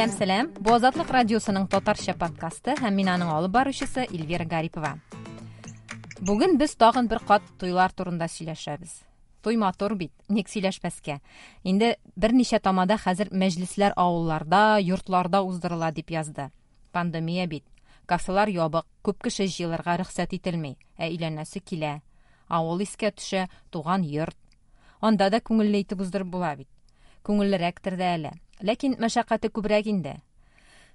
Сәлам, сәлам. Бу Азатлык радиосының татарча подкасты һәм мин аның алып баручысы Эльвира Гарипова. Бүген без тагын бер кат туйлар турында сөйләшәбез. Туй матур бит, ник сөйләшмәскә? Инде берничә тамада хәзер мәҗлесләр авылларда, йортларда уздырыла дип язды. Пандемия бит. Кафелар ябык, күп кеше җыелырга рөхсәт ителми, ә өйләнәсе килә. Авыл искә төшә, туган йорт. Анда да күңелле итеп уздырып була бит. Күңеллерәктер дә әле. Ләкин мәшәкате күбрәк инде.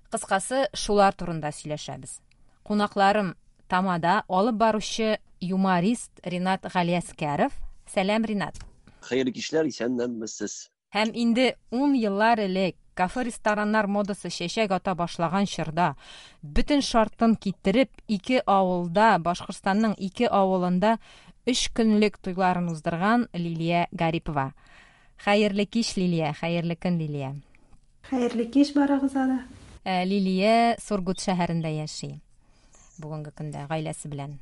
Кыскасы, шулар турында сөйләшәбез. Кунакларым Тамада алып баручы юморист Ринат Галиәскәров. Сәлам, Ринат. Хәерле кичләр, исәннәнмесез. Һәм инде ун еллар элек, кафе-рестораннар модасы чәчәк ата башлаган чорда, бөтен шартын китереп, ике авылда, Башкортстанның ике авылында өч көнлек туйларын уздырган Лилия Гарипова. Хәерле кич, Лилия, хәерле көн, Лилия. Хәерле кич барыгызга да. Э, Лилия Сургут шәһәрендә яши. Бүгенге көндә гаиләсе белән.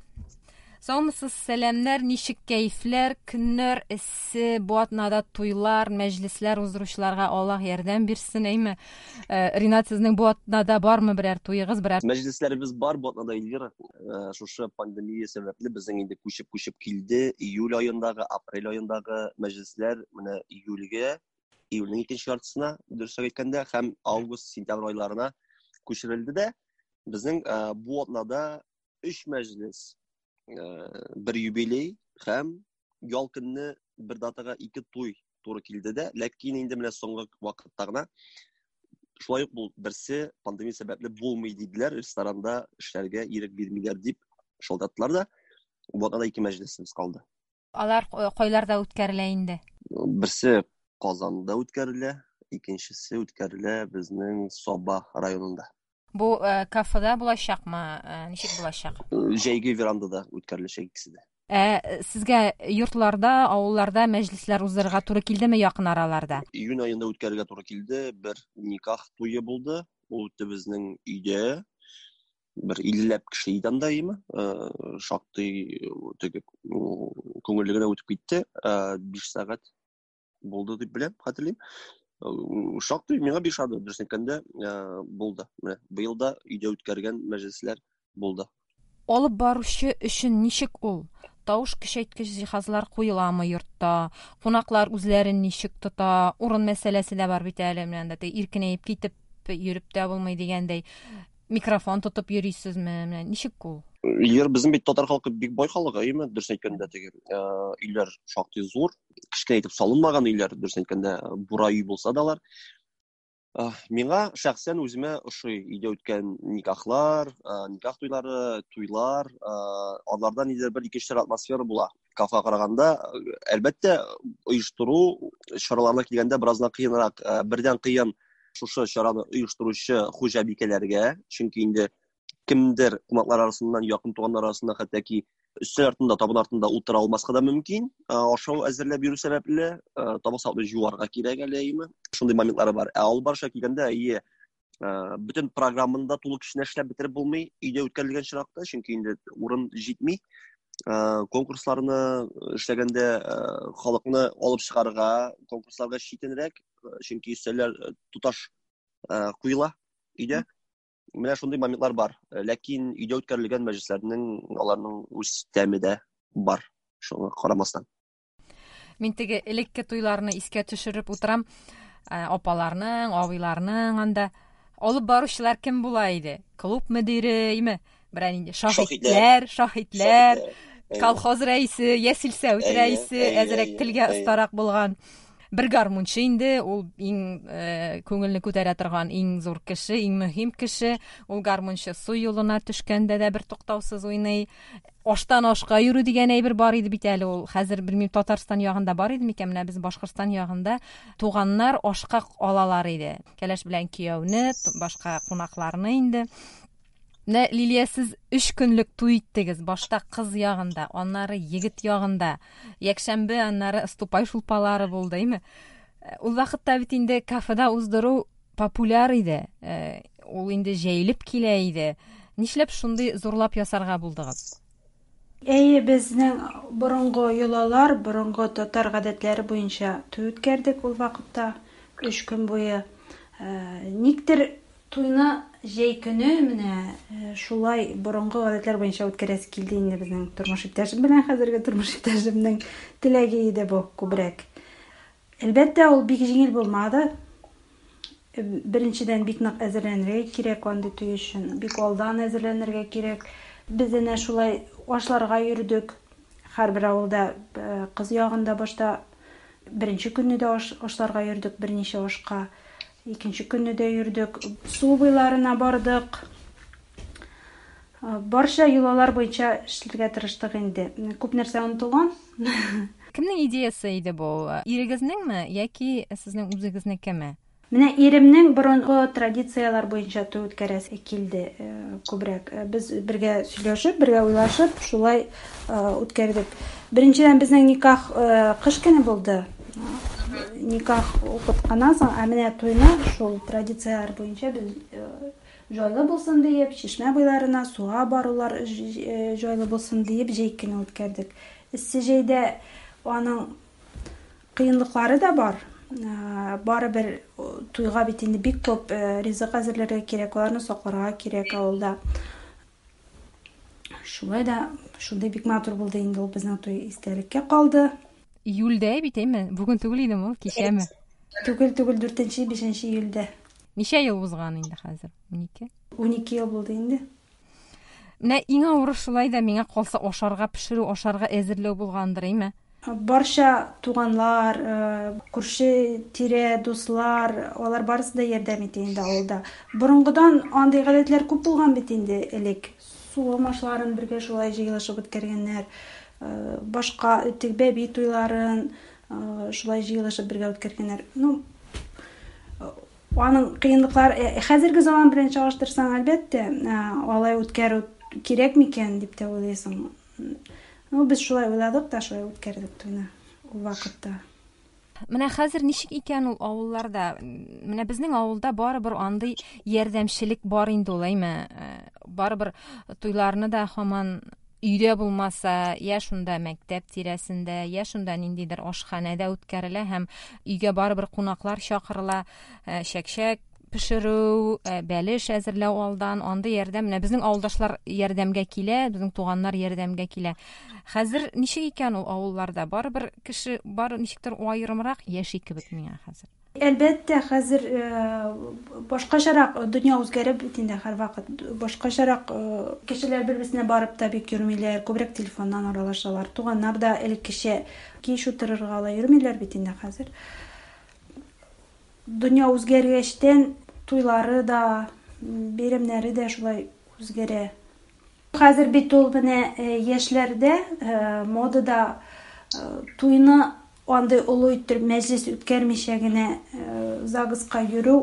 Саумысыз, сәламнәр, ничек кәефләр, көннәр эссе, бу атнада туйлар, мәҗлесләр уздыручыларга Аллаһ ярдәм бирсен, әйме? Э, Ринат, сезнең бу атнада бармы берәр туегыз, берәр? Мәҗлесләребез бар бу атнада, Эльвира. Э, шушы пандемия сәбәпле безнең инде күчеп-күчеп килде. Июль аендагы, апрель аендагы мәҗлесләр менә июльгә, июльнең икенче яртысына, дөресрәк әйткәндә, һәм август, сентябрь айларына күчерелде дә. Безнең э, бу атнада өч мәҗлес, э, бер юбилей һәм ял көнне бер датага ике туй туры килде дә, ләкин инде менә соңгы вакытта гына шулай ук бу берсе пандемия сәбәпле булмый диделәр, ресторанда эшләргә ирек бирмиләр дип шалтыраттылар да, бу атнада ике мәҗлесебез калды. Алар э, кайларда үткәрелә инде? Берсе Казанда үткәрелә, икенчесе үткәрелә безнең Саба районында. Бу э, кафеда булачакмы? Э, ничек булачак? Җәйге верандада үткәреләчәк икесе дә. Ә сезгә йортларда, авылларда мәҗлесләр уздырырга туры килдеме якын араларда? Июнь аенда үткәрергә туры килде. Бер никах туе булды. Ул үтте безнең өйдә. Бер иллеләп кеше иде анда, име. Э, шактый теге күңелле генә үтеп китте. 5 сәгать булды дип беләм, хәтерлим. Э, шактый миңа бик ошады, дөрес әйткәндә, э, булды. Менә быел да өйдә үткәргән мәҗлесләр булды. Алып баручы өчен ничек ул? Тавыш көчәйткеч җиһазлар куеламы йортта? Кунаклар үзләрен ничек тота? Урын мәсьәләсе дә бар бит әле, менә анда иркенәеп китеп йөреп тә булмый дигәндәй. Микрофон тотып йөрисезме? Менә ничек ул? Егер безнең бит татар халкы бик бай халык, әйеме? Дөрес әйткәндә, теге э, өйләр шактый зур, кечкенә итеп салынмаган өйләр, дөрес әйткәндә, бура өй булса да алар. Э, миңа шәхсән үземә ошый өйдә үткән никахлар, э, никах туйлары, туйлар, аларда нидер бер икенче атмосфера була. Кафега караганда, әлбәттә, оештыру чараларына килгәндә бераз гына кыенрак. Бердән кыен шушы чараны оештыручы хуҗабикәләргә, чөнки инде кемдер кунаклар арасыннан, якын туганнар арасыннан хәтта ки өстәл артында, табын артында утыра алмаска да мөмкин. Ашау әзерләп йөрү сәбәпле, табак савытны жуарга кирәк әле, әйеме? Шундый моментлары бар. Ә алып барышка килгәндә, әйе, бөтен программаны да тулы көченә эшләп бетереп булмый өйдә үткәрелгән чиракта, чөнки инде урын җитми. Конкурсларны эшләгәндә халыкны алып чыгарга, конкурсларга читенрәк, чөнки өстәлләр тоташ куела өйдә. Менә шундый моментлар бар. Ләкин өйдә үткәрелгән мәҗлесләрнең аларның үз тәме дә бар, шуңа карамастан. Мин теге элекке туйларны искә төшереп утырам. Апаларның, абыйларның анда алып баручылар кем була иде? Клуб мөдире, име? Берәр инде шаһитләр, шаһитләр, колхоз рәисе, ясилсәүт рәисе, әзрәк телгә остарак булган. Бер гармунчы инде, ул иң э, күңелне күтәрә торган иң зур кеше, иң мөһим кеше. Ул гармунчы су юлына төшкәндә дә бер туктаусыз уйный. Аштан ашка йөрү дигән әйбер бар иде бит әле ул. Хәзер белмим, Татарстан ягында бар иде микән? Менә без Башкортстан ягында туганнар ашка алалар иде. Кәләш белән кияүне, башка кунакларны инде. Менә, Лилия, сез өч көнлек туй иттегез. Башта кыз ягында, аннары егет ягында. Якшәмбе, аннары ступай шулпалары булды, әйме? Э, ул вакытта бит инде кафеда уздыру популяр иде. Э, ул инде җәелеп килә иде. Нишләп шундый зурлап ясарга булдыгыз? Әйе, безнең борынгы йолалар, борынгы татар гадәтләре буенча туй үткәрдек ул вакытта, өч көн буе. Никтер туйны җәй көне менә шулай борынгы гадәтләр буенча үткәрәсе килде инде безнең тормыш иптәшем белән, хәзерге тормыш иптәшемнең теләге иде бу күбрәк. Әлбәттә, ул бик җиңел булмады. Беренчедән, бик нык әзерләнергә кирәк андый туй өчен, бик алдан әзерләнергә кирәк. Без әнә шулай ашларга йөрдек. Һәрбер авылда кыз ягында башта беренче көнне дә ашларга йөрдек, берничә ашка. Икенче көнне дә йөрдек. Су буйларына бардык. Барча йолалар буенча эшләргә тырыштык инде. Күп нәрсә онытылган. Кемнең идеясы иде бу? Ирегезнеңме яки сезнең үзегезнекеме? Менә иремнең борынгы традицияләр буенча туй үткәрәсе килде күбрәк. Без бергә сөйләшеп, бергә уйлашып, шулай үткәрдек. Беренчедән, безнең никах кыш көне булды. Никах укытканнан соң, ә менә туйны шул традицияләр буенча без җайлы булсын диеп, чишмә буйларына суга барулар җайлы булсын диеп, җәй көне үткәрдек. Эссе җәйдә аның кыенлыклары да бар. Барыбер туйга бит инде бик күп ризык әзерләргә кирәк, аларны сакларга кирәк авылда. Шулай да шундый бик матур булды инде ул безнең туй, истәлеккә калды. Июльдә бит, әйме? Бүген түгел идеме ул, кичәме? Түгел, түгел, 4-нче, 5 июльдә. Ничә ел узган инде хәзер? 12? 12 ел булды инде. Менә иң авыры шулай да миңа калса ашарга пешерү, ашарга әзерләү булгандыр, әйме? Барча туганлар, күрше тирә, дуслар, алар барысы да ярдәм итә инде авылда. Борынгыдан андый гадәтләр күп булган бит инде элек. Сугым ашларын бергә шулай җыелышып үткәргәннәр. Башка теге бәби туйларын шулай җыелышып бергә үткәргәннәр. Ну, аның кыенлыклар хәзерге заман белән чагыштырсаң, әлбәттә, алай үткәрү кирәк микән дип тә уйлыйсың. Ну, без шулай уйладык та, шулай үткәрдек туйны ул вакытта. Менә хәзер ничек икән ул авылларда? Менә безнең авылда барыбер андый ярдәмчелек бар инде ул, әйме? Барыбер туйларны да һаман өйдә булмаса, я шунда мәктәп тирәсендә, я шунда ниндидер ашханәдә үткәрелә һәм өйгә барыбер кунаклар чакырыла, чәкчәк пешерү, бәлеш әзерләү алдан, андый ярдәм. Менә безнең авылдашлар ярдәмгә килә, безнең туганнар ярдәмгә килә. Хәзер ничек икән ул авылларда? Барыбер кеше бар ничектер аерымрак яши кебек миңа хәзер. Әлбәттә, хәзер башкачарак дөнья үзгәреп бит инде һәрвакыт. Башкачарак кешеләр бер-берсенә барып та бик йөрмиләр, күбрәк телефоннан аралашалар. Туганнар да элеккечә кич утырырга алай йөрмиләр бит инде хәзер. Дөнья үзгәргәчтән туйлары да, бәйрәмнәре дә шулай үзгәрә. Хәзер бит ул менә яшьләрдә модада туйны андый олы иттереп мәҗлес үткәрмичә генә ЗАГСка йөрү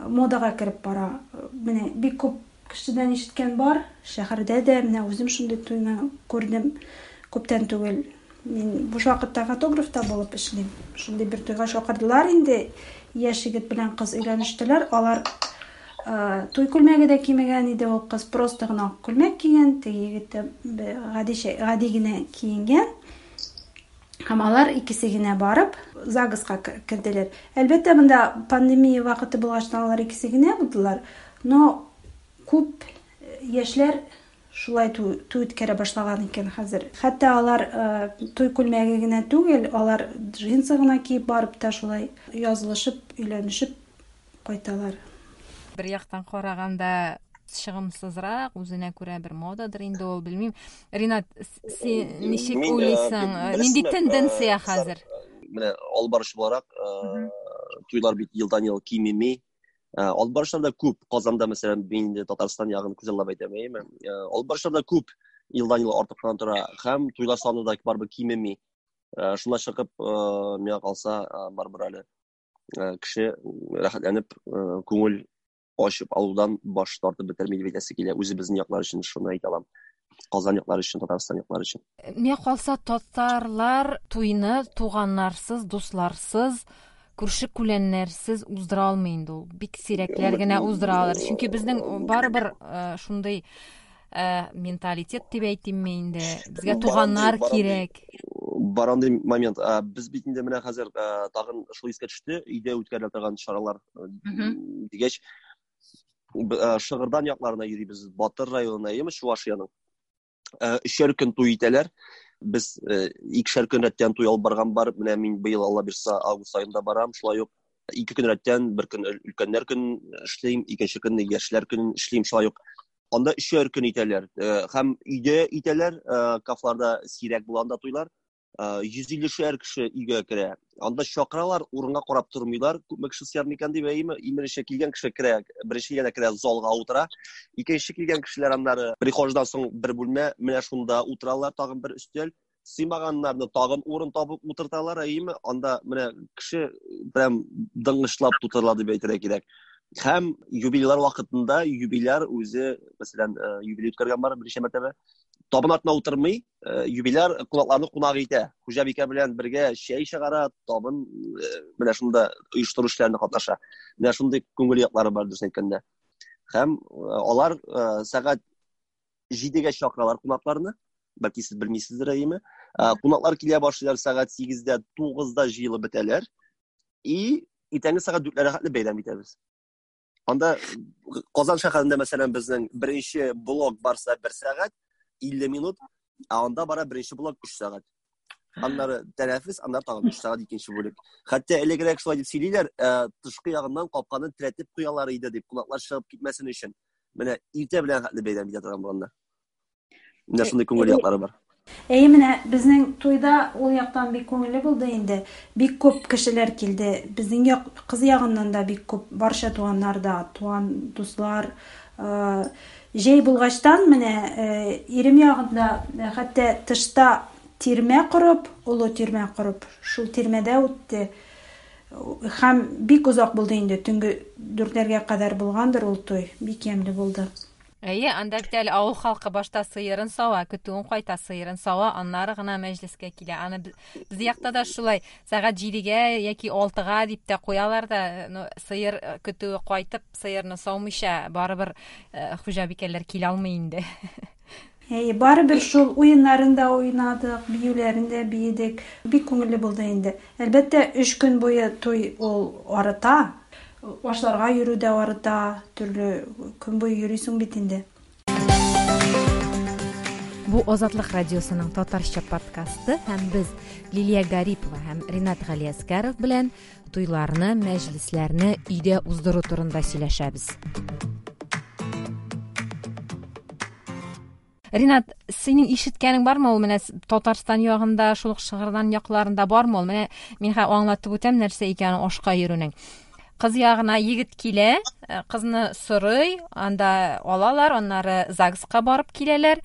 модага кереп бара. Менә бик күп кешедән ишеткән бар, шәһәрдә дә менә үзем шундый туйны күрдем күптән түгел. Мин буш вакытта фотограф та булып эшлим. Шундый бер туйга чакырдылар инде. Яшь егет белән кыз өйләнештеләр. Алар туй күлмәге дә кимәгән иде, ул кыз просто гына ак күлмәк кигән, теге егет тә гади, гади генә киенгән. Һәм алар икесе генә барып ЗАГСка керделәр. Әлбәттә, монда пандемия вакыты булгачтан алар икесе генә булдылар, но күп яшьләр шулай туй үткәрә башлаган икән хәзер. Хәтта алар туй күлмәге генә түгел, алар джинсы гына киеп барып та шулай язылышып, өйләнешеп кайталар. Бер яктан караганда чыгымсызрак, үзенә күрә бер модадыр инде ул, белмим. Ринат, син ничек уйлыйсың? Нинди тенденция хәзер? Менә алып баручы буларак, туйлар бит елдан-ел кимеми. Алып баручылар да күп. Казанда, мәсәлән, мин инде Татарстан ягын күзаллап әйтәм, әйеме? Алып баручылар да күп, елдан-ел артып кына тора һәм туйлар саны да барыбер кимеми. Шуннан чыгып, миңа калса, барыбер әле кеше рәхәтләнеп, күңел ачып алудан баш тартып бетерми дип әйтәсе килә. Үзебезнең яклар өчен шуны әйтә алам. Казан яклары өчен, Татарстан яклары өчен. Миңа калса, татарлар туйны туганнарсыз, дусларсыз, күрше күләннәрсез уздыра алмый инде ул. Бик сирәкләр генә уздыра алыр. Чөнки безнең барыбер шундый менталитет дип әйтимме инде. Безгә туганнар кирәк. Бар андый момент. Без бит инде менә хәзер тагын шул искә төште, өйдә үткәрелә торган чаралар дигәч, Шыгырдан якларына йөрибез, Батыр районына, әйеме, Чувашиянең. Өчәр көн туй итәләр. Без икешәр көн рәттән туй алып барган бар. Менә мин быел, Алла бирса, август аенда барам. Шулай ук ике көн рәттән, бер көн өлкәннәр көнен эшлим, икенче көнне яшьләр көнен эшлим шулай ук. Анда өчәр көн итәләр. Һәм өйдә итәләр, кафеларда сирәк була анда туйлар. 150-шәр кеше өйгә керә. Анда чакыралар, урынга карап тормыйлар, күпме кеше сыяр микән дип, әйеме? Иң беренче килгән кеше керә, беренче килгәндә керә, залга утыра. Икенче килгән кешеләр аннары прихождан соң бер бүлмә, менә шунда утыралар, тагын бер өстәл. Сыймаганнарны тагын урын табып утырталар, әйеме? Анда менә кеше прям дыңгычлап тутырыла дип әйтергә кирәк. Һәм юбилейлар вакытында юбиляр үзе, мәсәлән, юбилей үткәргән бар берничә мәртәбә, табын артына утырмый, юбиляр кунакларны кунак итә. Хуҗабикә белән бергә чәй чыгара, табын менә шунда оештыру эшләрендә катнаша. Менә шундый күңел яклары бар, дөресен әйткәндә. Һәм алар сәгать 7-гә чакыралар кунакларны. Бәлки сез белмисездер, әйеме? Кунаклар килә башлыйлар сәгать 8-дә, 9-да җыелып бетәләр. И иртәнге сәгать 4-ләргә хәтле бәйрәм итәбез. Анда Казан шәһәрендә, мәсәлән, безнең беренче блок барса 1 сәгать 50 минут, ә анда бара беренче блок 3 сәгать. Аннары тәнәфес, аннары тагын 3 сәгать икенче бүлек. Хәтта элегрәк шулай дип сөйлиләр, тышкы ягыннан капканы терәтеп куялар иде дип, кунаклар чыгып китмәсен өчен. Менә иртә белән хәтле бәйрәм итә торган булганнар. Менә шундый күңел яклары бар. Әйе, менә безнең туйда ул яктан бик күңелле булды инде. Бик күп кешеләр килде. Безнең як, кыз ягыннан да бик күп, барча туганнар да, туган, дуслар. Җәй булгачтан менә ирем ягында хәтта тышта тирмә корып, олы тирмә корып, шул тирмәдә үтте. Һәм бик озак булды инде, төнге дүртләргә кадәр булгандыр ул туй. Бик ямьле булды. Әйе, анда бит әле авыл халкы башта сыерын сава, көтүен кайта, сыерын сава, аннары гына мәҗлескә килә. Аны без якта да шулай сәгать 7-гә яки 6-га дип тә куялар да, ну, сыер көтүе кайтып, сыерны саумыйча, барыбер хуҗабикәләр килә алмый инде. Әйе, барыбер шул уеннарын да уйнадык, биюләрен дә биедек. Бик күңелле булды инде. Әлбәттә, өч көн буе туй ул арыта. Ашларга йөрү дә арыта, төрле көн буе йөрисең бит инде. Бу Азатлык радиосының татарча подкасты һәм без Лилия Гарипова һәм Ринат Галиәскәров белән туйларны, мәҗлесләрне өйдә уздыру турында сөйләшәбез. Ринат, синең ишеткәнең бармы ул менә Татарстан ягында, шул ук Шыгырдан якларында бармы ул? Менә мин хәзер аңлатып үтәм нәрсә икәнен ашка йөрүнең. Кыз ягына егет килә, кызны сорый, анда алалар, аннары ЗАГСка барып киләләр.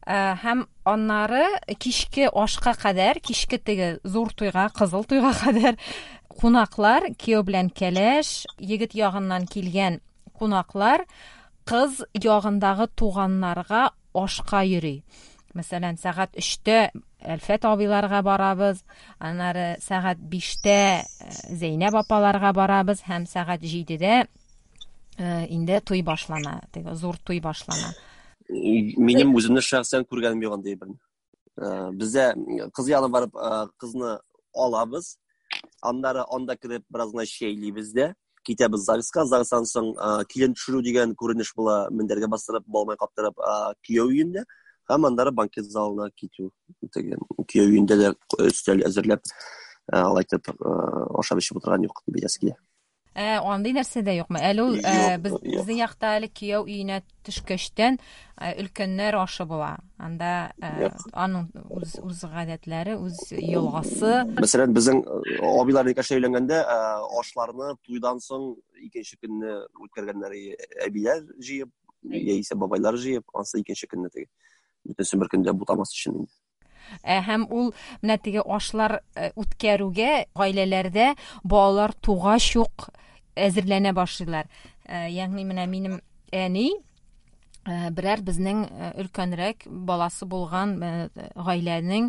Һәм аннары кичке ашка кадәр, кичке теге зур туйга, кызыл туйга кадәр кунаклар, кияү белән кәләш, егет ягыннан килгән кунаклар кыз ягындагы туганнарга ашка йөри. Мәсәлән, сәгать 3-тә Әлфәт абыйларга барабыз, аннары сәгать 5-тә Зәйнәб апаларга барабыз һәм сәгать 7-дә инде туй башлана, теге зур туй башлана. Минем үземне шәхсән күргәнем юк андый берни. Бездә кыз ягына барып кызны алабыз, аннары анда кереп бераз гына чәйлибез дә, китәбез ЗАГСка. ЗАГСтан соң килен төшерү дигән күренеш була, мендәргә бастырып, балмай каптырып, кияү өендә һәм аннары банкет залына китү. Теге кияү өендә дә өстәл әзерләп, алай итеп ашап эчеп утырган юк дип әйтәсе килә. Андый нәрсә дә юкмы? Әле ул без безнең якта әле кияү өенә төшкәчтән өлкәннәр ашы була. Анда аның үз үз гадәтләре, үз йоласы. Мәсәлән, безнең абыйлар никахта өйләнгәндә ашларны туйдан соң икенче көнне үткәргәннәр, әбиләр җыеп, яисә бабайлар җыеп, ансы икенче көнне теге. Бөтенесен бер көндә бутамас өчен инде. Һәм ул менә теге ашлар үткәрүгә гаиләләрдә балалар тугач ук әзерләнә башлыйлар. Ягъни менә минем әни берәр безнең өлкәнрәк баласы булган гаиләнең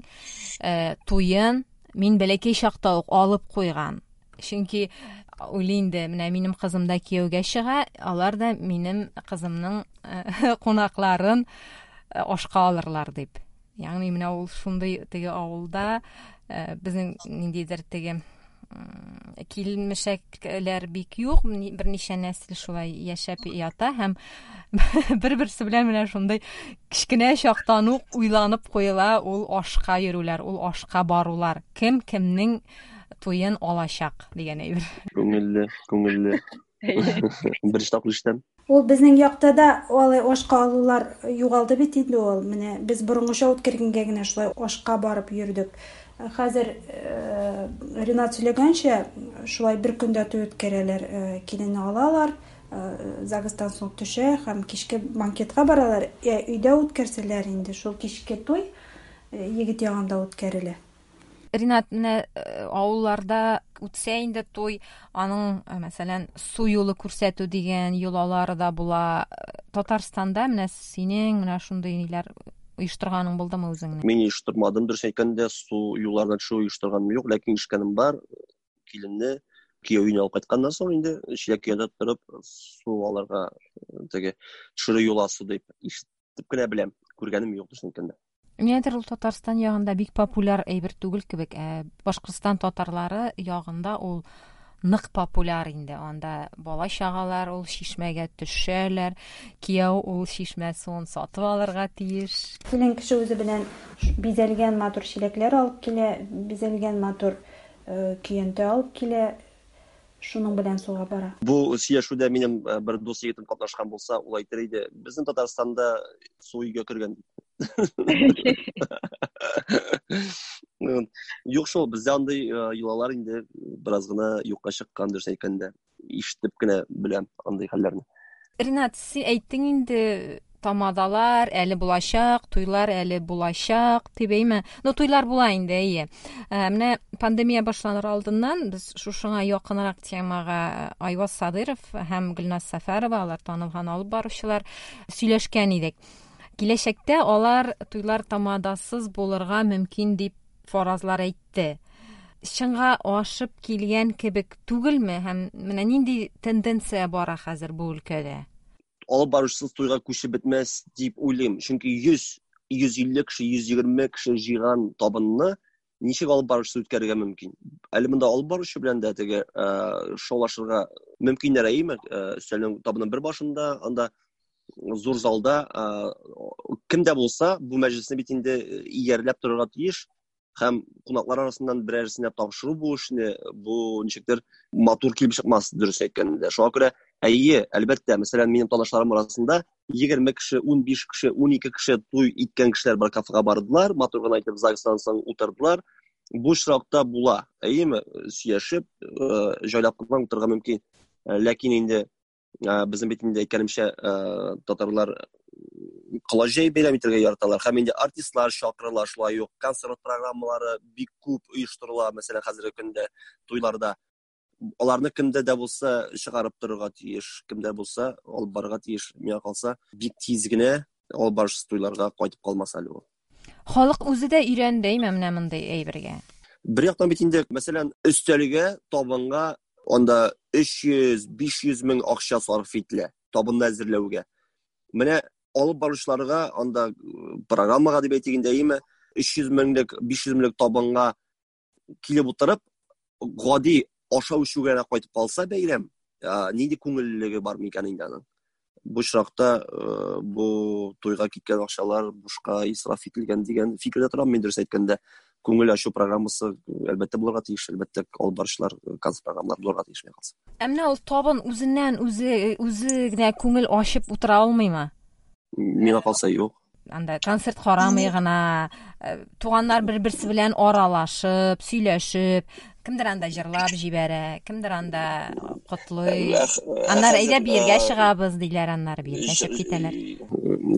туен мин бәләкәй чакта ук алып куйган. Чөнки уйлый инде, менә минем кызым да кияүгә чыга, алар да минем кызымның кунакларын ашка алырлар дип. Ягъни менә ул шундый теге авылда безнең ниндидер теге килмешәкләр бик юк, берничә нәсел шулай яшәп ята һәм бер-берсе белән менә шундый кечкенә чактан ук уйланып куела ул ашка йөрүләр, ул ашка барулар. Кем кемнең туен алачак дигән әйбер. Күңелле, күңелле. Беренче тапкыр ишетәм. Ул безнең якта да алай ашка алулар югалды бит инде ул. Менә без борынгыча үткәргәнгә генә шулай ашка барып йөрдек. Хәзер Ринат сөйләгәнчә, шулай бер көндә туй үткәрәләр. Киленне алалар, ЗАГСтан соң төшә һәм кичке банкетка баралар. Ә өйдә үткәрсәләр инде, шул кичке туй егет ягында үткәрелә. Ринат, менә авылларда үтсә инде туй, аның, мәсәлән, су юлы күрсәтү дигән йолалары да була. Татарстанда менә синең менә шундый ниләр оештырганың булдымы үзеңнең? Мин оештырмадым, дөрес әйткәндә, су юлларына төшү оештырганым юк, ләкин ишеткәнем бар. Киленне кияү өенә алып кайтканнан соң инде чиләк көянтә торып су алырга теге төшерү йоласы дип ишетеп кенә беләм, күргәнем юк, дөресен әйткәндә. Нигәдер ул Татарстан ягында бик популяр әйбер түгел кебек. Ә Башкортстан татарлары ягында ул нык популяр инде. Анда бала чагалар ул чишмәгә төшәләр. Кияү ул чишмә суын сатып алырга тиеш. Килен кеше үзе белән бизәлгән матур чиләкләр алып килә, бизәлгән матур көянтә алып килә. Шуның белән суга бара. Бу сөйләшүдә минем бер дус егетем катнашкан булса, ул әйтер иде, безнең Татарстанда су өйгә кергән дип. Юк шул, бездә андый йолалар инде бераз гына юкка чыккан, дөрес әйткәндә. Ишетеп кенә беләм андый хәлләрне. Ринат, син әйттең инде, тамадалар әле булачак, туйлар әле булачак дип, әйме? Ну, туйлар була инде, әйе. Менә пандемия башланыр алдыннан без шушыңа якынрак темага Айваз Садыров һәм Гөлназ Сәфәрова, алар танылган алып баручылар, сөйләшкән идек. Киләчәктә алар туйлар тамадасыз булырга мөмкин дип фаразлар әйтте. Чынга ашып килгән кебек түгелме һәм менә нинди тенденция бара хәзер бу өлкәдә? Алып баручысыз туйга күчеп бетмәс дип уйлыйм. Чөнки 100, 150 кеше, 120 кеше җыйган табынны ничек алып баручысы үткәрергә мөмкин? Әле монда алып баручы белән дә теге шаулашырга мөмкиннәр, әйеме? Өстәлнең табынның бер башында, анда зур залда кем дә булса бу мәҗлесне бит инде иярләп торырга тиеш һәм кунаклар арасыннан берәрсенә тапшыру бу эшне, бу ничектер матур килеп чыкмас, дөрес әйткәндә. Шуңа күрә, әйе, әлбәттә, мәсәлән, минем танышларым арасында 20 кеше, 15 кеше, 12 кеше туй иткән кешеләр бар, кафега бардылар, матур гына итеп ЗАГСтан соң утырдылар. Бу очракта була, әйеме, сөйләшеп, җайлап кына утырырга мөмкин. Ләкин инде безнең бит инде әйткәнемчә, татарлар колач җәеп бәйрәм итәргә яраталар. Һәм инде артистлар чакырыла, шулай ук концерт программалары бик күп оештырыла, мәсәлән, хәзерге көндә туйларда. Аларны кемдә дә булса чыгарып торырга тиеш, кемдә булса алып барырга тиеш. Миңа калса, бик тиз генә алып барышсыз туйларга кайтып калмас әле ул. Халык үзе дә өйрәнде, әйме, менә мондый әйбергә. Бер яктан бит инде, мәсәлән, өстәлгә, табынга анда 300, 500 мең акча сарыф ителә табынны әзерләүгә. Менә алып баручыларга анда программага дип әйтик инде, әйеме, 300 меңлек, 500 меңлек табынга килеп утырып, гади ашау эчүгә генә кайтып калса бәйрәм, нинди күңеллелеге бар микән инде аның? Бу очракта бу туйга киткән акчалар бушка исраф ителгән дигән фикердә торам мин, дөрес әйткәндә. Күңел ачу программасы әлбәттә булырга тиеш, әлбәттә алып баручылар концерт программалары булырга тиеш, миңа калса. Ә менә ул табын үзеннән үзе генә күңел ачып утыра алмыймы? Миңа калса, юк. Анда концерт карамый гына, туганнар бер-берсе белән аралашып, сөйләшеп, кемдер анда җырлап җибәрә, кемдер анда котлый. Аннары әйдә биергә чыгабыз диләр, аннары биергә чыгып китәләр.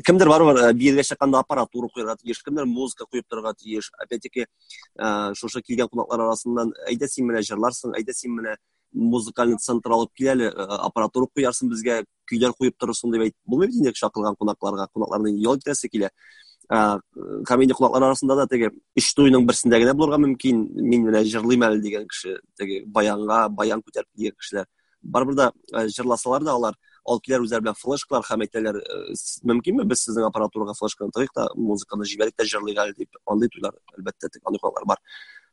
Кемдер барыбер биергә чыкканда аппаратура куярга тиеш, кемдер музыка куеп торырга тиеш. Опять-таки, шушы килгән кунаклар арасыннан әйдә син менә җырларсың, әйдә син менә музыкальный центр алып кил әле, аппаратура куярсың безгә, көйләр куеп торырсың дип әйтеп булмый бит инде чакырылган кунакларга, кунакларның ял итәсе килә. Һәм инде кунаклар арасында да теге өч туйның берсендә генә булырга мөмкин, мин менә җырлыйм әле дигән кеше, теге баянга баян күтәреп килгән кешеләр. Барыбер дә җырласалар да алар Алып киләләр үзләре белән флешкалар һәм әйтәләр, мөмкинме без сезнең аппаратурага флешканы тыгыйк та, музыканы җибәрик тә җырлыйк әле дип. Андый туйлар, әлбәттә, андый кунаклар бар.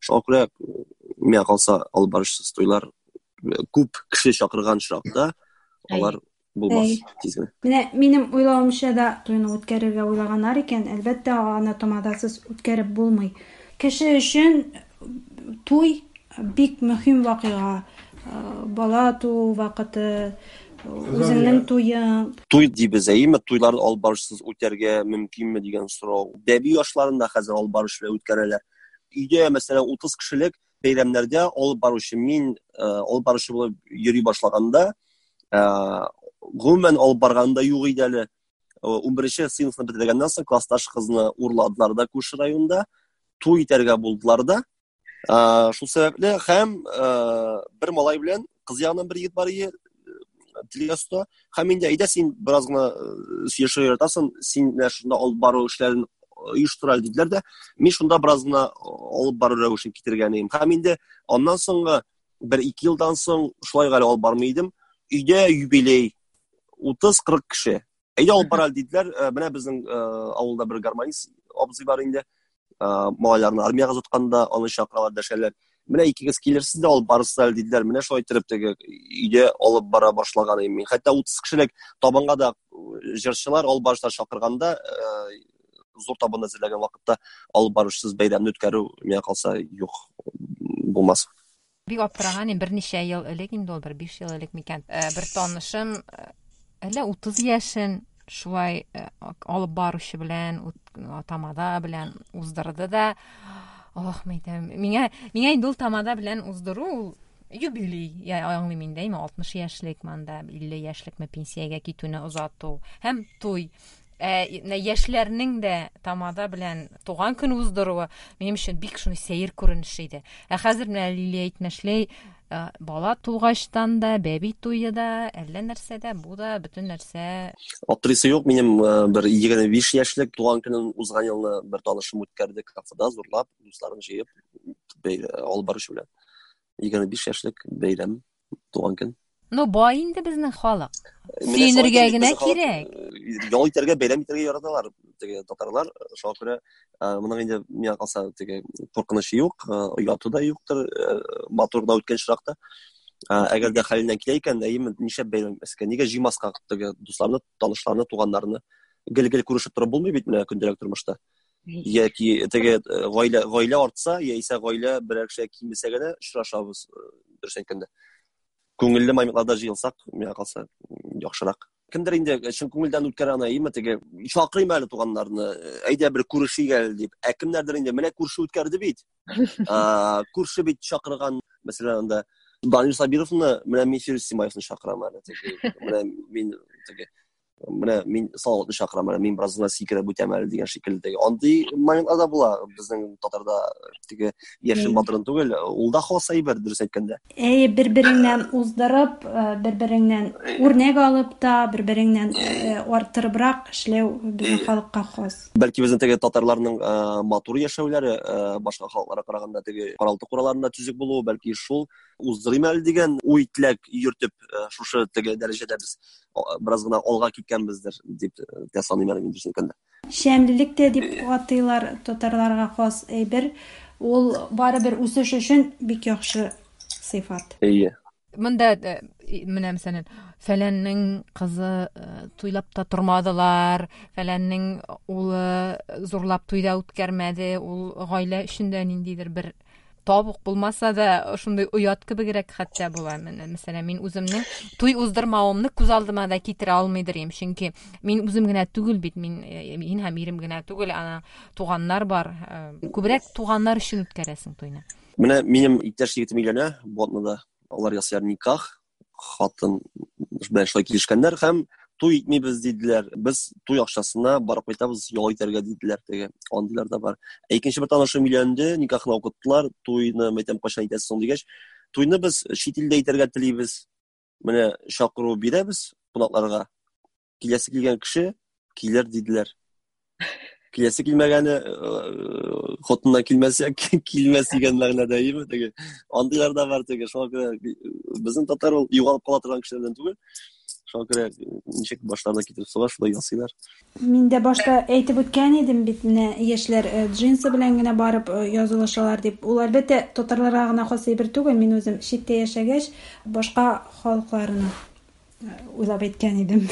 Шуңа күрә, миңа калса, алып баручысыз туйлар күп кеше чакырган очракта алар булмас тиз генә. Менә минем уйлавымча да туйны үткәрергә уйлаганнар икән, әлбәттә, аны тамадасыз үткәреп булмый. Кеше өчен туй бик мөһим вакыйга. Бала туу вакыты, үзеңнең туең. Туй дибез, әйеме? Туйларны алып барышсыз үтәргә мөмкинме дигән сорау. Бәби ашларын да хәзер алып барыш белән үткәрәләр. Өйдә, мәсәлән, 30 кешелек бәйрәмнәрдә алып баручы мин, алып баручы булып йөри башлаганда, гомумән алып барганда юк иде әле. 11 сыйныфны бетергәннән соң классташ кызны урладылар да күрше районда, туй итәргә булдылар да. Шул сәбәпле һәм бер малай белән кыз ягыннан бер егет бар иде, телгә оста. Һәм инде әйдә син бераз гына сөйләшергә яратасың, син менә шунда алып бару эшләрен оештыр әле диделәр дә, мин шунда бераз гына алып бару рәвешен китергән идем. Һәм инде аннан соңгы бер-ике елдан соң шулай әле алып бармый идем. Өйдә юбилей 30-40 кеше. Әйдә алып бар әле диделәр. Менә безнең авылда бер гармонист абзый бар инде. Малайларны армиягә озатканда аны чакыралар, дәшәләр. Менә икегез килерсез дә алып барырсыз әле диделәр. Менә шулай иттереп теге өйдә алып бара башлаган идем мин. Хәтта 30 кешелек табынга да җырчылар, алып баручылар чакырганда, зур табын әзерләгән вакытта алып баручысыз бәйрәмне үткәрү миңа калса юк, булмас. Бик аптыраган идем, берничә ел элек инде ул, бер 5 ел элек микән. Бер танышым әллә 30 яшен шулай алып баручы белән, тамада белән уздырды да. Ох, мәйтәм, миңа инде ул тамада белән уздыру ул юбилей, я аңлыйм инде, әйме, 60 яшьлек монда, 50 яшьлекме пенсиягә китүне озату һәм туй. Менә яшьләрнең дә тамада белән туган көн уздыруы минем өчен бик шундый сәер күренеш иде. Ә хәзер менә Лилия әйтмешли, бала тугачтан да, бәби туе да, әллә нәрсә дә, бу да, бөтен нәрсә. Аптырыйсы юк, минем бер 25 яшьлек туган көнен узган елны бер танышым үткәрде кафеда, зурлап, дусларын җыеп, алып баручы белән. 25 яшьлек бәйрәм, туган көн. Ну, бай инде безнең халык. Сөенергә генә кирәк. Ял итәргә, бәйрәм итәргә яраталар теге татарлар. Шуңа күрә моның инде миңа калса теге куркынычы юк, ояты да юктыр, матур да үткән чиракта. Әгәр дә хәленнән килә икән, әйеме, нишләп бәйрәм итмәскә? Нигә җыймаска теге дусларны, танышларны, туганнарны? Гел-гел күрешеп торып булмый бит менә көндәлек тормышта. Яки теге гаилә артса, яисә гаилә берәр кешегә кимесә генә очрашабыз, дөрес әйткәндә. Күңелле моментларда җыелсак, миңа калса, яхшырак. Кемдер инде чын күңелдән үткәрә аны, әйеме, теге чакырыйм әле туганнарны, әйдә бер күрешик әле дип. Ә кемнәрдер инде менә күрше үткәрде бит. Күрше бит чакырган, мәсәлән, анда Данил Сабировны, менә мин Фирүз Симаевны чакырам әле, теге, менә мин теге менә мин Салаватны чакырам әле, мин бераз гына сикереп үтәм әле дигән шикелле теге. Андый моментлар да була безнең татарда, теге яшен батырын түгел, ул да хас әйбер, дөрес әйткәндә. Әйе, бер-береңнән уздырып, бер-береңнән үрнәк алып та, бер-береңнән арттырыбрак эшләү безнең халыкка хас. Бәлки безнең теге татарларның матур яшәүләре, башка халыкларга караганда теге каралты-кураларында төзек булуы, бәлки шул уздырыйм әле дигән уй теләк йөртеп, шушы теге дәрәҗәдә без бераз гына алга киткәнбездер дип тә саныйм әле мин, дөресен әйткәндә. Шәмлелек тә дип атыйлар татарларга хас әйбер. Ул барыбер үсеш өчен бик яхшы сыйфат. Әйе. Монда менә мәсәлән, фәләннең кызы туйлап та тормадылар, фәләннең улы зурлап туйда үткәрмәде, ул гаилә өчен дә ниндидер бер табук булмаса да, шундый оят кебегрәк хәтта була. Менә, мәсәлән, мин үземнең туй уздырмавымны күз алдыма да китерә алмыйдыр идем, чөнки мин үзем генә түгел бит, мин һәм ирем генә түгел, ана туганнар бар. Күбрәк туганнар өчен үткәрәсең туйны. Менә минем иптәш егетем өйләнә бу атнада. Алар ясыйлар никах, хатын белән шулай килешкәннәр һәм туй итмибез диделәр. Без туй акчасына барып кайтабыз, ял итәргә диделәр теге. Андыйлар да бар. Ә икенче бер танышым өйләнде, никахны укыттылар, туйны мәйтәм кайчан итәсез соң дигәч, туйны без чит илдә итәргә телибез. Менә чакыру бирәбез кунакларга. Киләсе килгән кеше килер диделәр. Киләсе килмәгәне хатыннан килмәсә килмәс дигән мәгънәдә име теге. Андыйлар да бар теге. Шуңа күрә безнең татар ул югалып кала торган кешеләрдән түгел. Шуңа күрә ничек башларына китереп суга, шулай ясыйлар. Мин дә башта әйтеп үткән идем бит, менә яшьләр э, джинсы белән генә барып э, язылышалар дип. Ул әлбәттә татарларга гына хас әйбер түгел. Мин үзем читтә яшәгәч, башка халыкларны э, уйлап әйткән идем.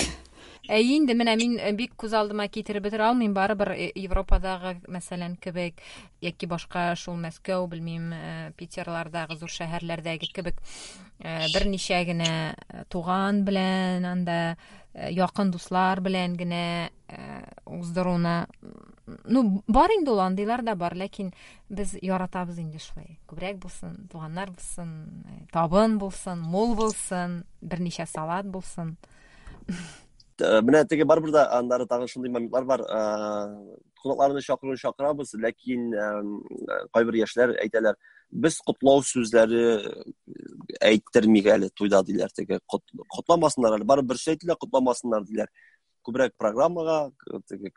Әйе инде, менә мин бик күз алдыма китереп бетерә алмыйм, барыбер Европадагы, мәсәлән, кебек яки башка шул Мәскәү, белмим, Питерлардагы зур шәһәрләрдәге кебек берничә генә туган белән анда якын дуслар белән генә уздыруны ну бар инде ул андыйлар да бар ләкин без яратабыз инде шулай күбрәк булсын туганнар булсын табын булсын мул булсын берничә салат булсын Менә теге барыбер дә аннары тагын шундый моментлар бар кунакларны чакыруын чакырабыз ләкин кайбер яшьләр әйтәләр без котлау сүзләре әйттермик әле туйда диләр теге котламасыннар әле барыбер бер әйтелә котламасыннар диләр күбрәк программага теге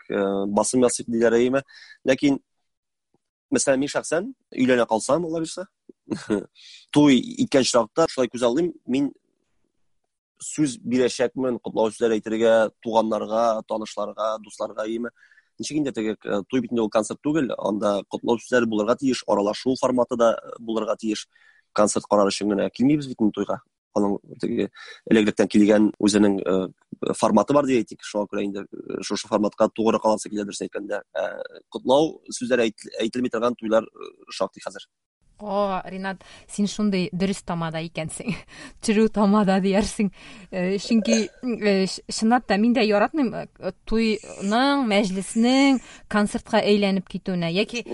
басым ясыйк диләр әйеме ләкин мәсәлән мин шәхсән өйләнә калсам алла бирсә туй иткән очракта шулай күз алдыйм мин сүз бирәчәкмен котлау сүзләре әйтергә туганнарга танышларга дусларга әйеме ничек инде теге э, туй бит инде ул концерт түгел анда котлау сүзләре булырга тиеш аралашу форматы да э, булырга тиеш концерт карар өчен генә килмибез бит инде туйга аның теге элек-электән килгән үзенең э, форматы бар дип әйтик шуңа күрә инде шушы форматка тугры каласы килә дөресен әйткәндә котлау сүзләре әйтелми торган туйлар шактый хәзер О, Ринат, син шундый дөрес тамада икәнсең. True тамада диярсең. Э, чөнки э, чынлап та мин дә яратмыйм э, туйның, мәҗлеснең концертка әйләнеп китүенә яки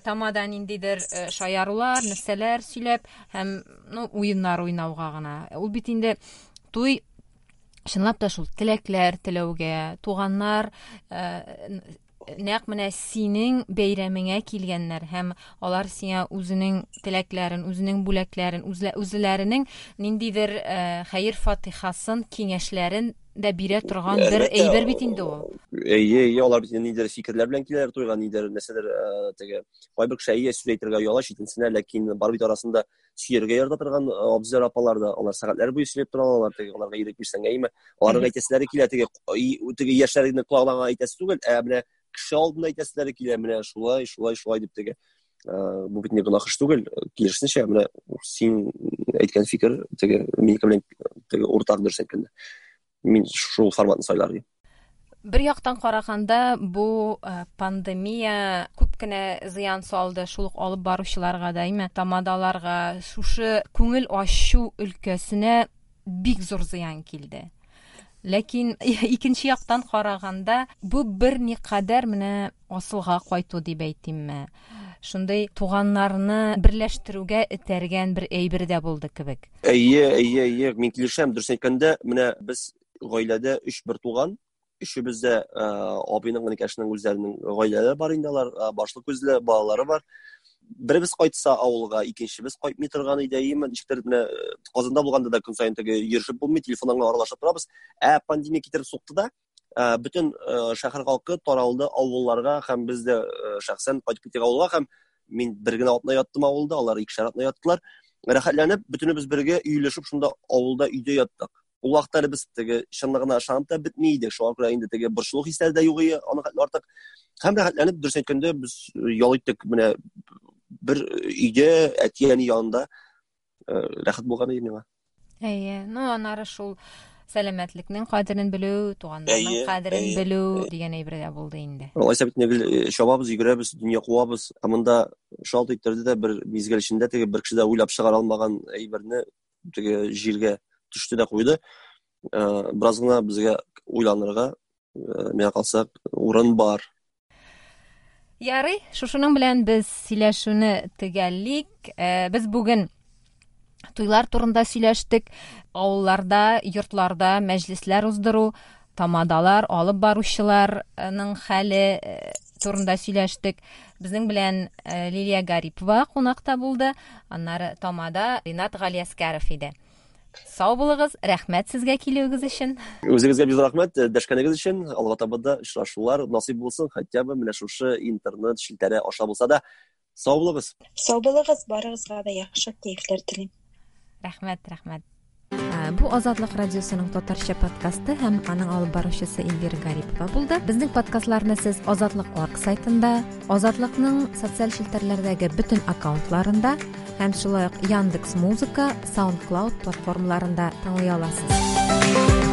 тамада ниндидер шаярулар, нәрсәләр сөйләп һәм ну уеннар уйнауга гына. Ул бит инде туй чынлап та шул теләкләр теләүгә, туганнар нәкъ менә синең бәйрәмеңә килгәннәр һәм алар сиңа үзенең теләкләрен, үзенең бүләкләрен, үзләренең ниндидер э, хәер-фатихасын, киңәшләрен дә бирә торган бер әйбер бит инде ул. Әйе, әйе, алар бит ниндидер фикерләр белән киләләр туйга, ниндидер нәрсәдер э, теге кайбер кеше әйе сүз әйтергә ояла, читенсенә, ләкин бар бит арасында сөяргә ярата торган э, абзыйлар апалар да алар сәгатьләр буе сөйләп тора алалар теге аларга ирек бирсәң әйме аларның әйтәселәре килә теге теге яшьләрнең колагына әйтәсе түгел ә менә кеше алдында әйтәселәре килә менә шулай шулай шулай дип теге э, бу бит не гөнаһ эш түгел киресенчә менә син әйткән фикер теге минеке белән теге уртак дөрес әйткәндә мин шул форматны сайлар идем Бер яктан караганда, бу э, пандемия күп кенә зыян салды шул ук алып баручыларга да, әйме, тамадаларга, шушы күңел ачу өлкәсенә бик зур зыян килде. Ләкин икенче яктан караганда, бу берникадәр менә асылга кайту дип әйтимме, шундый туганнарны берләштерүгә этәргән бер әйбер дә булды кебек. Әйе, әйе, әйе, мин килешәм. Дөрес әйткәндә, менә без гаиләдә өч бер туган, өчебез дә э, абыйның, энекәшнең үзләренең гаиләләре бар инде алар, э, башлы күзле балалары бар. Беребез кайтса авылга, икенчебез кайтмый торган иде, әйеме, ничектер менә э, Казанда булганда да көн саен теге йөрешеп булмый, телефоннан гына аралашып торабыз. Ә пандемия китереп сукты да, бөтен шәһәр халкы таралды авылларга һәм без дә шәхсән кайтып киттек авылга һәм мин бер генә атна яттым авылда, алар икешәр атна яттылар. Рәхәтләнеп, бөтенебез бергә өелешеп шунда авылда өйдә яттык. Ул вакытта әле без теге чынлыгына ышанып та бетми идек. Шуңа күрә инде теге борчылу хисләре дә юк иде, аны хәтле артык. Һәм рәхәтләнеп, дөрес әйткәндә, без ял иттек менә бер өйдә әти-әни янында э, рәхәт булган иде миңа. Әйе, ну аннары шул сәламәтлекнең кадерен белү, туганнарның кадерен белү дигән әйбер дә булды инде. Алайса бит гел э, чабабыз, йөгерәбез, дөнья куабыз. Ә монда шалт иттерде дә бер мизгел эчендә теге бер кеше дә уйлап чыгара алмаган әйберне теге җиргә төште дә куйды. Э, бераз гына безгә уйланырга, э, миңа калса, урын бар. Ярый, шушының белән без сөйләшүне төгәллик. Э, без бүген туйлар турында сөйләштек. Авылларда, йортларда мәҗлесләр уздыру, тамадалар, алып баручыларның хәле турында сөйләштек. Безнең белән э, Лилия Гарипова кунакта булды. Аннары тамада Ринат Галиәскәров иде. Сау булыгыз, рәхмәт сезгә килүегез өчен. Үзегезгә бик рәхмәт э, дәшкәнегез өчен. Алга таба да очрашулар насыйп булсын, хотя бы менә шушы интернет челтәре аша булса да. Сау булыгыз. Сау булыгыз, барыгызга да яхшы кәефләр телим. Рәхмәт, рәхмәт. Бу Азатлык радиосының татарча подкасты һәм аның алып баручысы Эльвира Гарипова булды. Безнең подкастларны сез Азатлык орг сайтында, Азатлыкның социаль челтәрләрдәге бөтен аккаунтларында һәм шулай ук Яндекс Музыка, SoundCloud платформаларында тыңлый аласыз.